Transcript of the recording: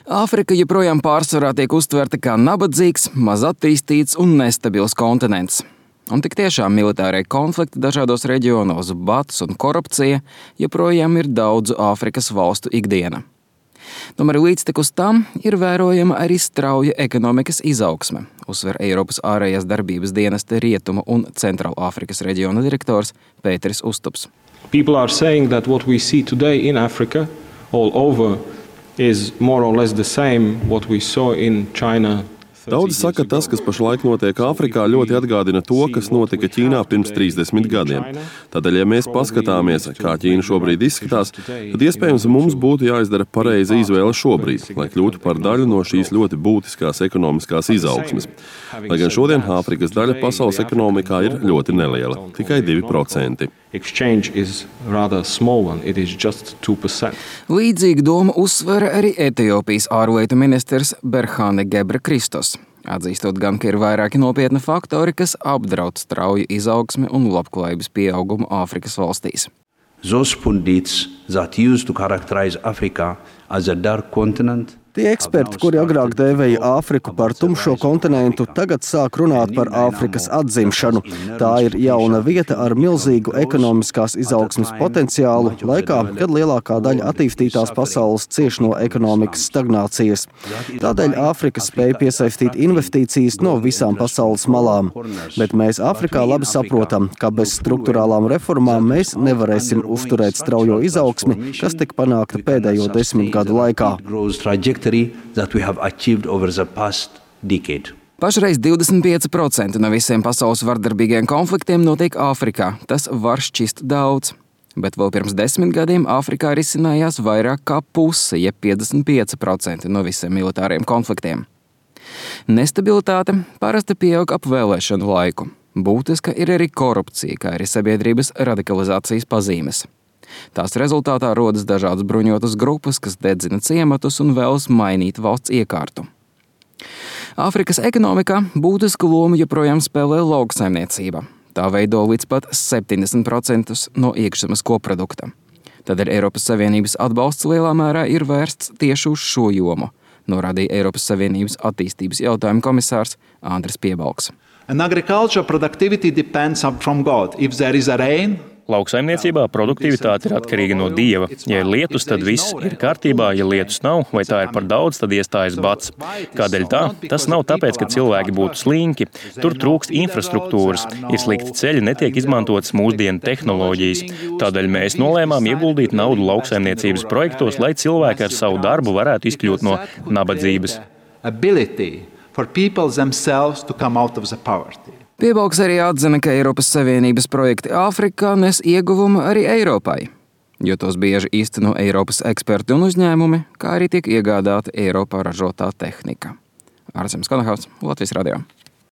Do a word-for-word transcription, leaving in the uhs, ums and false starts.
Āfrika joprojām pārsvarā tiek uztverta kā nabadzīgs, maz attīstīts un nestabils kontinents. Un tik tiešām militārie konflikti dažādos reģionos, bats un korupcija joprojām ir daudzu Āfrikas valstu ikdiena. Tomēr līdztekus tam ir vērojama arī strauja ekonomikas izaugsme, uzsver Eiropas ārējās darbības dienesta Rietumu un Centrālāfrikas reģiona direktors Pēteris Uztups. People are saying that what we see today in Africa all over is more or less the same what we saw in China. Daudzi saka, tas, kas pašlaik notiek Āfrikā, ļoti atgādina to, kas notika Ķīnā pirms trīsdesmit gadiem. Tādēļ, ja mēs paskatāmies, kā Ķīna šobrīd izskatās, tad iespējams mums būtu jāizdara pareiza izvēle šobrīd, lai kļūtu par daļu no šīs ļoti būtiskās ekonomiskās izaugsmes. Lai gan šodien Āfrikas daļa pasaules ekonomikā ir ļoti neliela, tikai divi procenti. Līdzīgu domu uzsver arī Etiopijas ārlietu ministrs Berhane Gebrekristos, atzīstot gan, ka ir vairāki nopietni faktori, kas apdraud strauju izaugsmi un labklājības pieaugumu Āfrikas valstīs. Those pundits that used to characterize Africa as a dark continent. Tie eksperti, kuri agrāk dēvēja Āfriku par tumšo kontinentu, tagad sāk runāt par Āfrikas atzimšanu. Tā ir jauna vieta ar milzīgu ekonomiskās izaugsmes potenciālu laikā, kad lielākā daļa attīstītās pasaules cieš no ekonomikas stagnācijas. Tādēļ Āfrika spēja piesaistīt investīcijas no visām pasaules malām. Bet mēs Āfrikā labi saprotam, ka bez struktūrālām reformām mēs nevarēsim uzturēt straujo izaugsmi, kas tika panākta pēdējo desmit gadu laikā. That we have achieved over the past decade. Pašreiz divdesmit pieci procenti no visiem pasaules vardarbīgiem konfliktiem notiek Āfrikā. Tas var šķist daudz. Bet vēl pirms desmit gadiem Āfrikā risinājās vairāk kā puse, jeb piecdesmit pieci procenti no visiem militāriem konfliktiem. Nestabilitāte parasti pieaug ap vēlēšanu laiku. Būtiska ir arī korupcija, kā arī sabiedrības radikalizācijas pazīmes. Tās rezultātā rodas dažādas bruņotas grupas, kas dedzina ciematus un vēlas mainīt valsts iekārtu. Āfrikas ekonomikā būtisku lomu joprojām spēlē lauksaimniecība. Tā veido līdz pat septiņdesmit procentus no iekšzemes koprodukta. Tādēļ Eiropas Savienības atbalsts lielā mērā ir vērsts tieši uz šo jomu, norādīja Eiropas Savienības attīstības jautājumu komisārs Andris Piebalgs. And agriculture productivity depends from God. If there is a rain, Lauksaimniecībā produktivitāte ir atkarīga no Dieva. Ja ir lietus, tad viss ir kārtībā, ja lietus nav, vai tā ir par daudz, tad iestājas bats. Kādēļ tā? Tas nav tāpēc, ka cilvēki būtu slinki. Tur trūkst infrastruktūras, ir slikti ceļi, netiek izmantotas mūsdienu tehnoloģijas. Tādēļ mēs nolēmām ieguldīt naudu lauksaimniecības projektos, lai cilvēki ar savu darbu varētu izkļūt no nabadzības. Piebalgs arī atzina, ka Eiropas Savienības projekti Āfrikā nes ieguvumu arī Eiropai, jo tos bieži īsteno Eiropas eksperti un uzņēmumi, kā arī tiek iegādāta Eiropā ražotā tehnika. Ārsems Konahaus, Latvijas radio.